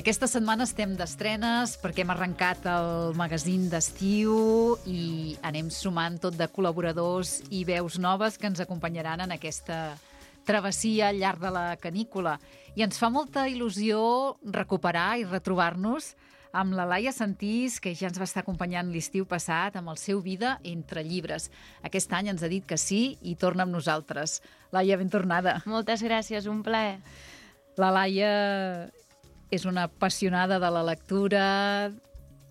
Aquesta setmana estem d'estrenes perquè hem arrencat el magazín d'estiu i anem sumant tot de col·laboradors i veus noves que ens acompanyaran en aquesta travessia al llarg de la canícula. I ens fa molta il·lusió recuperar i retrobar-nos amb la Laia Sentís, que ja ens va estar acompanyant l'estiu passat amb el seu Vida entre llibres. Aquest any ens ha dit que sí i torna amb nosaltres. Laia, ben tornada. Moltes gràcies, un plaer. La Laia és una apassionada de la lectura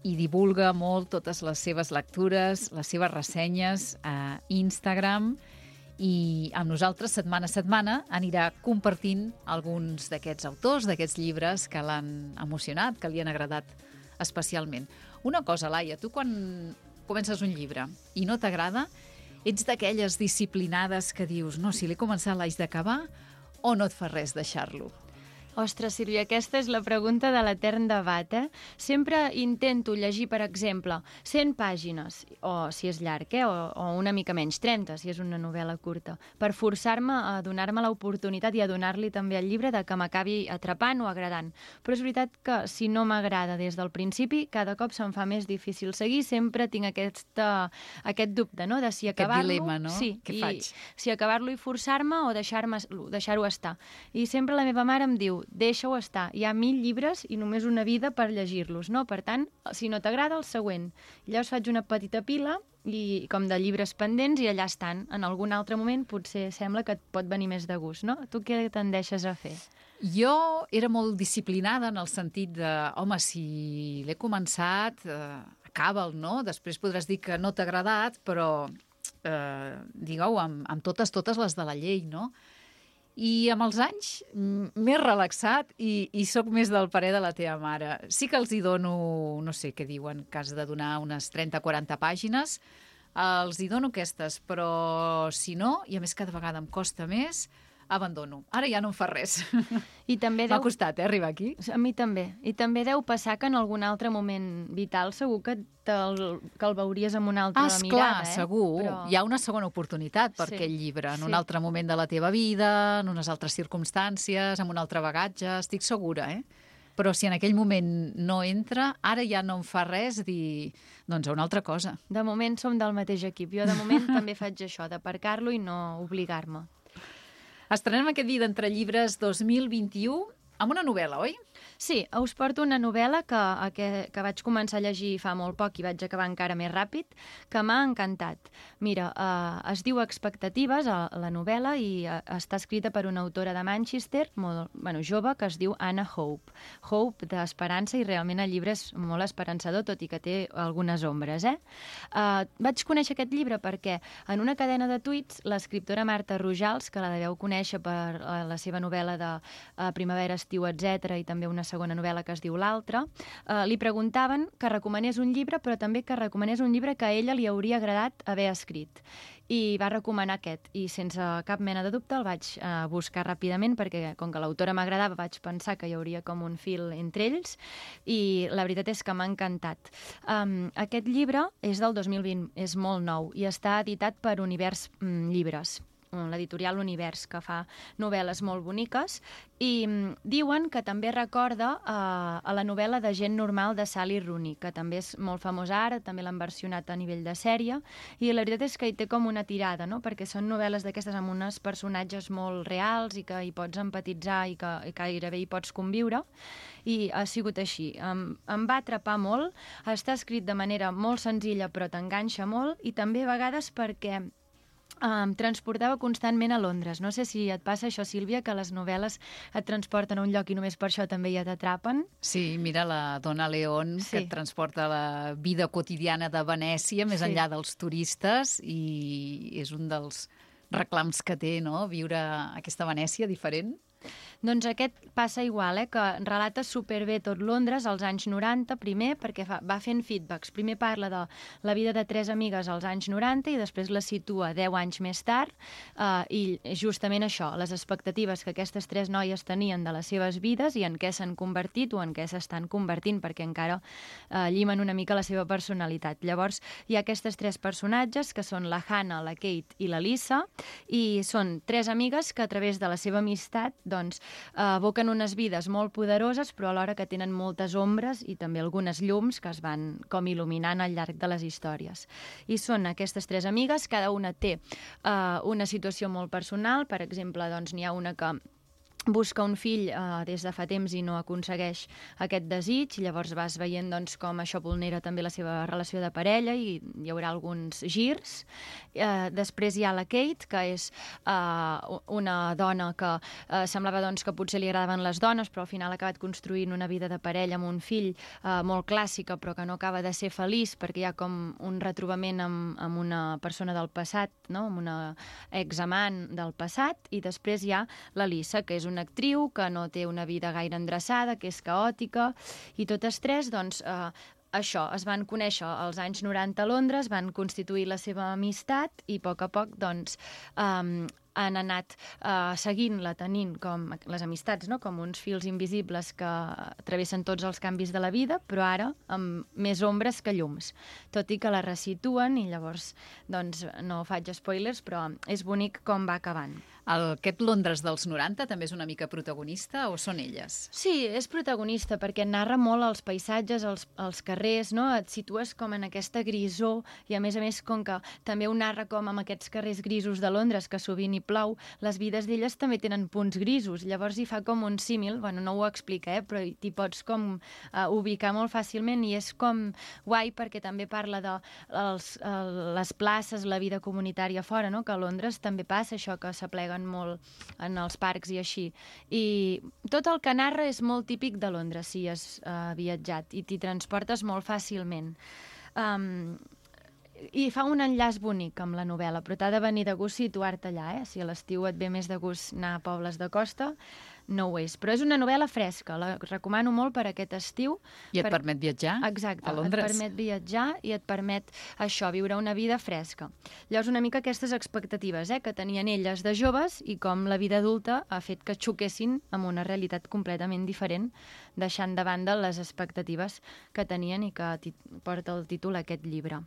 i divulga molt totes les seves lectures, les seves ressenyes a Instagram, i amb nosaltres setmana a setmana anirà compartint alguns d'aquests autors, d'aquests llibres que l'han emocionat, que li han agradat especialment. Una cosa, Laia, tu quan comences un llibre i no t'agrada, ets d'aquelles disciplinades que dius no, si l'he començat l'haig d'acabar, o no et fa res deixar-lo? Ostres, Sílvia, aquesta és la pregunta de l'etern debat, Sempre intento llegir, per exemple, 100 pàgines, o si és llarg, o una mica menys, 30, si és una novel·la curta, per forçar-me a donar-me l'oportunitat i a donar-li també al llibre de que m'acabi atrapant o agradant. Però és veritat que si no m'agrada des del principi, cada cop se'm fa més difícil seguir, sempre tinc aquest dubte, no?, de si acabar-lo... Aquest dilema, no? Sí, Què faig? Si acabar-lo i forçar-me o deixar-ho estar. I sempre la meva mare em diu, deixa-ho estar. Hi ha 1000 llibres i només una vida per llegir-los, no? Per tant, si no t'agrada, el següent. Llavors faig una petita pila i com de llibres pendents i allà estan. En algun altre moment potser sembla que et pot venir més de gust, no? Tu què tendeixes a fer? Jo era molt disciplinada en el sentit de, home, si l'he començat, acaba'l, no? Després podràs dir que no t'ha agradat, però digueu, amb totes les de la llei, no? I amb els anys m'he relaxat i sóc més del parer de la teva mare. Sí que els hi dono, no sé què diuen, que has de donar unes 30-40 pàgines, els hi dono aquestes, però si no, i a més cada vegada em costa més, abandono. Ara ja no em fa res. I també m'ha costat, arribar aquí. A mi també. I també deu passar que en algun altre moment vital segur que el veuries amb una altra mirada. Esclar, segur. Però... hi ha una segona oportunitat per aquell llibre, en un altre moment de la teva vida, en unes altres circumstàncies, amb un altre bagatge, estic segura, Però si en aquell moment no entra, ara ja no em fa res dir, doncs, a una altra cosa. De moment som del mateix equip. Jo de moment també faig això, d'aparcar-lo i no obligar-me. Estrenem aquest Vida entre llibres 2021 amb una novel·la, oi? Sí, us porto una novel·la que vaig començar a llegir fa molt poc i vaig acabar encara més ràpid, que m'ha encantat. Mira, es diu Expectatives, la novel·la, i està escrita per una autora de Manchester, jove, que es diu Anna Hope. Hope d'esperança, i realment el llibre és molt esperançador, tot i que té algunes ombres, Vaig conèixer aquest llibre perquè en una cadena de tuits l'escriptora Marta Rojals, que la deveu conèixer per la seva novel·la de Primavera, estiu, etc., i també una segona novel·la que es diu L'altre, li preguntaven que recomanés un llibre, però també que recomanés un llibre que a ella li hauria agradat haver escrit. I va recomanar aquest, i sense cap mena de dubte el vaig buscar ràpidament, perquè com que l'autora m'agradava vaig pensar que hi hauria com un fil entre ells, i la veritat és que m'ha encantat. Aquest llibre és del 2020, és molt nou, i està editat per Univers Llibres, l'editorial Univers, que fa novel·les molt boniques, i diuen que també recorda a la novel·la de Gent normal de Sally Rooney, que també és molt famosa ara, també l'han versionat a nivell de sèrie, i la veritat és que hi té com una tirada, no? Perquè són novel·les d'aquestes amb uns personatges molt reals i que hi pots empatitzar i que gairebé hi pots conviure, i ha sigut així. Em va atrapar molt, està escrit de manera molt senzilla però t'enganxa molt, i també a vegades perquè em transportava constantment a Londres. No sé si et passa això, Sílvia, que les novel·les et transporten a un lloc i només per això també ja t'atrapen. Sí, mira la Donna León, que et transporta a la vida quotidiana de Venècia, més enllà dels turistes, i és un dels reclams que té, no?, viure aquesta Venècia diferent. Doncs aquest passa igual, que relata superbé tot Londres als anys 90, primer, perquè va fent feedbacks. Primer parla de la vida de 3 amigues als anys 90 i després la situa 10 anys més tard, i justament això, les expectatives que aquestes 3 noies tenien de les seves vides i en què s'han convertit o en què s'estan convertint, perquè encara llimen una mica la seva personalitat. Llavors, hi ha aquestes 3 personatges, que són la Hannah, la Kate i la Lisa, i són 3 amigues que a través de la seva amistat doncs, evoquen unes vides molt poderoses, però alhora que tenen moltes ombres i també algunes llums que es van com il·luminant al llarg de les històries. I són aquestes 3 amigues, cada una té una situació molt personal. Per exemple, doncs, n'hi ha una que busca un fill des de fa temps i no aconsegueix aquest desig, llavors vas veient doncs, com això vulnera també la seva relació de parella i hi haurà alguns girs. Després hi ha la Kate, que és una dona que semblava doncs, que potser li agradaven les dones, però al final ha acabat construint una vida de parella amb un fill molt clàssica, però que no acaba de ser feliç perquè hi ha com un retrobament amb una persona del passat, no? Amb una examant del passat, i després hi ha la Lisa, que és una actriu que no té una vida gaire endreçada, que és caòtica, i totes 3, doncs, això, es van conèixer als anys 90 a Londres, van constituir la seva amistat i a poc, doncs, han anat seguint-la, tenint com les amistats, no? Com uns fils invisibles que travessen tots els canvis de la vida, però ara amb més ombres que llums. Tot i que la resituen, i llavors doncs, no faig spoilers, però és bonic com va acabant. Aquest Londres dels 90 també és una mica protagonista o són elles? Sí, és protagonista perquè narra molt els paisatges, els carrers, no? Et situes com en aquesta grisor i a més, com que també ho narra com amb aquests carrers grisos de Londres, que sovint hi plau, les vides d'elles també tenen punts grisos, llavors hi fa com un símil, bueno, no ho explica, però t'hi pots com ubicar molt fàcilment i és com guai perquè també parla de les places, la vida comunitària fora, no? Que a Londres també passa això, que s'apleguen molt en els parcs i així. I tot el que narra és molt típic de Londres, si has viatjat, i t'hi transportes molt fàcilment. I fa un enllaç bonic amb la novel·la, però t'ha de venir de gust situar-te allà, Si a l'estiu et ve més de gust anar a pobles de costa, no ho és. Però és una novel·la fresca, la recomano molt per aquest estiu. I et permet viatjar a Londres. Exacte, et permet viatjar i et permet això, viure una vida fresca. Llavors una mica aquestes expectatives que tenien elles de joves i com la vida adulta ha fet que xoquessin amb una realitat completament diferent, deixant de banda les expectatives que tenien i que porta el títol aquest llibre.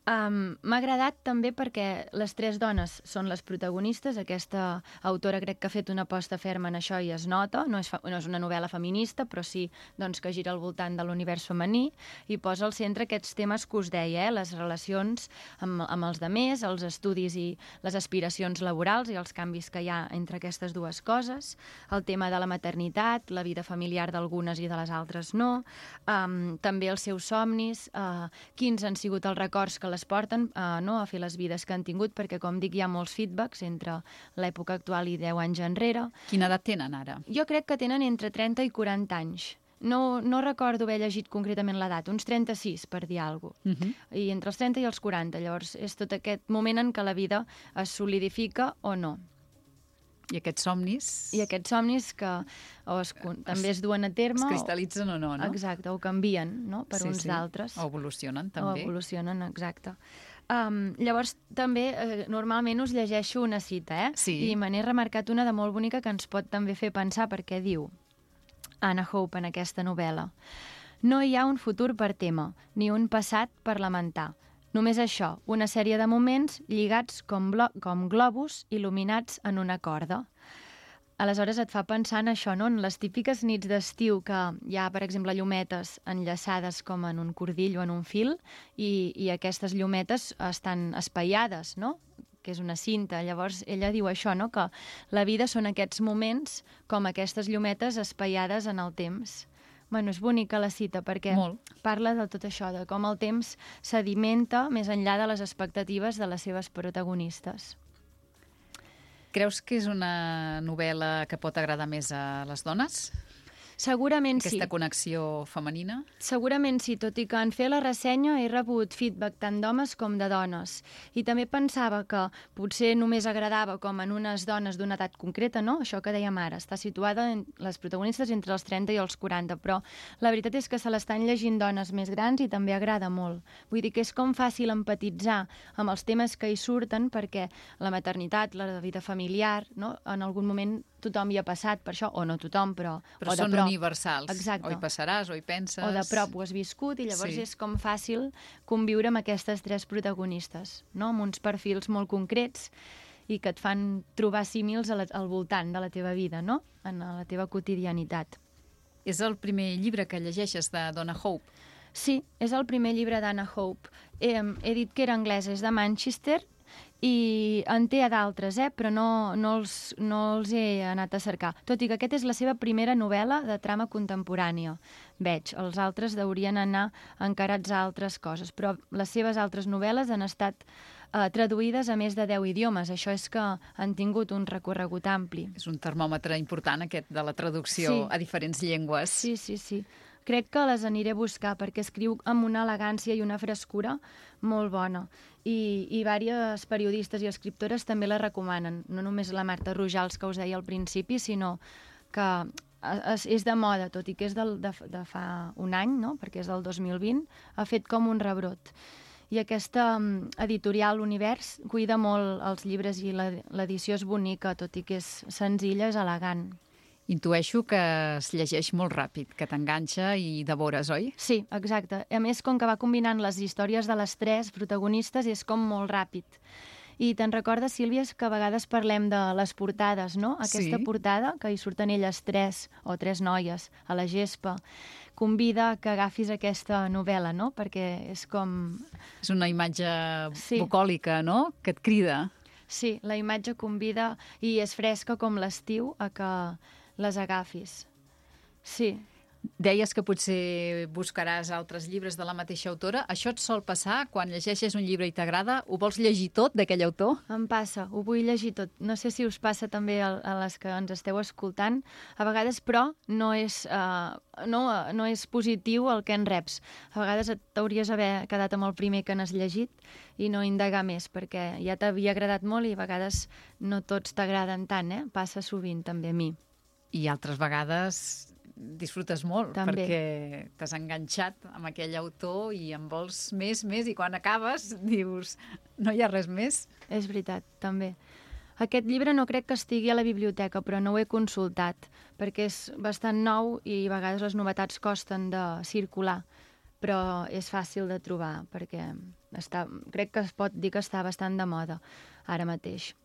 M'ha agradat també perquè les 3 dones són les protagonistes. Aquesta autora crec que ha fet una aposta ferma en això i es nota. No és una novel·la feminista, però sí doncs, que gira al voltant de l'univers femení i posa al centre aquests temes que us deia, les relacions amb els demés, els estudis i les aspiracions laborals i els canvis que hi ha entre aquestes dues coses, el tema de la maternitat, la vida familiar d'algunes i de les altres no, també els seus somnis, quins han sigut els records que les porten a fer les vides que han tingut, perquè, com dic, hi ha molts feedbacks entre l'època actual i 10 anys enrere. Quina edat tenen ara? Jo crec que tenen entre 30 i 40 anys. No recordo haver llegit concretament l'edat, uns 36, per dir alguna cosa. I entre els 30 i els 40, llavors és tot aquest moment en què la vida es solidifica o no. I aquests somnis? I aquests somnis que també es duen a terme. Es cristal·litzen o no, no? Exacte, o canvien per uns d'altres. O evolucionen, també. O evolucionen, exacte. Llavors, també, normalment us llegeixo una cita, Sí. I me n'he remarcat una de molt bonica que ens pot també fer pensar, perquè diu Anna Hope en aquesta novel·la: no hi ha un futur per témer, ni un passat per lamentar. Només això, una sèrie de moments lligats com globus il·luminats en una corda. Aleshores et fa pensar en això, no? En les típiques nits d'estiu que hi ha, per exemple, llumetes enllaçades com en un cordill o en un fil i aquestes llumetes estan espaiades, no? Que és una cinta. Llavors ella diu això, no? Que la vida són aquests moments com aquestes llumetes espaiades en el temps. Bueno, és bonica la cita perquè parla de tot això, de com el temps sedimenta més enllà de les expectatives de les seves protagonistes. Creus que és una novel·la que pot agradar més a les dones? Segurament sí. Aquesta connexió femenina? Segurament sí, tot i que en fer la ressenya he rebut feedback tant d'homes com de dones. I també pensava que potser només agradava com en unes dones d'una edat concreta, no? Això que dèiem ara, està situada en les protagonistes entre els 30 i els 40, però la veritat és que se l'estan llegint dones més grans i també agrada molt. Vull dir que és com fàcil empatitzar amb els temes que hi surten perquè la maternitat, la vida familiar, no? En algun moment tothom hi ha passat per això, o no tothom, però o de són prop. Universals. Exacte. O hi passaràs, o hi penses. O de prop ho has viscut i llavors Sí. és com fàcil conviure amb aquestes tres protagonistes, no? Amb uns perfils molt concrets i que et fan trobar símils al voltant de la teva vida, no? En la teva quotidianitat. És el primer llibre que llegeixes de Donna Hope. Sí, és el primer llibre d'Anna Hope. He dit que era anglès, és de Manchester, i en té a d'altres, però no els he anat a cercar. Tot i que aquesta és la seva primera novel·la de trama contemporània. Veig, els altres haurien anar encarats a altres coses, però les seves altres novel·les han estat traduïdes a més de 10 idiomes. Això és que han tingut un recorregut ampli. És un termòmetre important, aquest, de la traducció a diferents llengües. Sí. Crec que les aniré a buscar perquè escriu amb una elegància i una frescura molt bona. I diverses periodistes i escriptores també la recomanen. No només la Marta Rojals, que us deia al principi, sinó que és de moda, tot i que és de fa un any, no? Perquè és del 2020, ha fet com un rebrot. I aquesta editorial Univers cuida molt els llibres i l'edició és bonica, tot i que és senzilla, és elegant. Intueixo que es llegeix molt ràpid, que t'enganxa i devores, oi? Sí, exacte. A més, com que va combinant les històries de les tres protagonistes, és com molt ràpid. I te'n recordes, Sílvia, que a vegades parlem de les portades, no? Aquesta portada, que hi surten elles tres, o tres noies, a la gespa, convida que agafis aquesta novel·la, no? Perquè és com... És una imatge bucòlica, no?, que et crida. Sí, la imatge convida i és fresca com l'estiu a que les agafis. Sí. Deies que potser buscaràs altres llibres de la mateixa autora. Això et sol passar quan llegeixes un llibre i t'agrada? Ho vols llegir tot d'aquell autor? Em passa, ho vull llegir tot. No sé si us passa també a les que ens esteu escoltant. A vegades, però, no és positiu el que en reps. A vegades t'hauries d'haver quedat amb el primer que n'has llegit i no indagar més, perquè ja t'havia agradat molt i a vegades no tots t'agraden tant, Passa sovint també a mi. I altres vegades disfrutes molt, també. Perquè t'has enganxat amb aquell autor i en vols més, i quan acabes dius, no hi ha res més. És veritat, també. Aquest llibre no crec que estigui a la biblioteca, però no ho he consultat, perquè és bastant nou i a vegades les novetats costen de circular, però és fàcil de trobar, perquè crec que es pot dir que està bastant de moda ara mateix.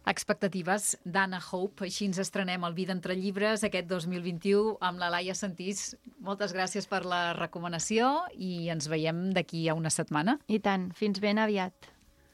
Expectatives d'Anna Hope. Així ens estrenem el Vida entre llibres aquest 2021 amb la Laia Sentís. Moltes gràcies per la recomanació i ens veiem d'aquí a una setmana. I tant. Fins ben aviat.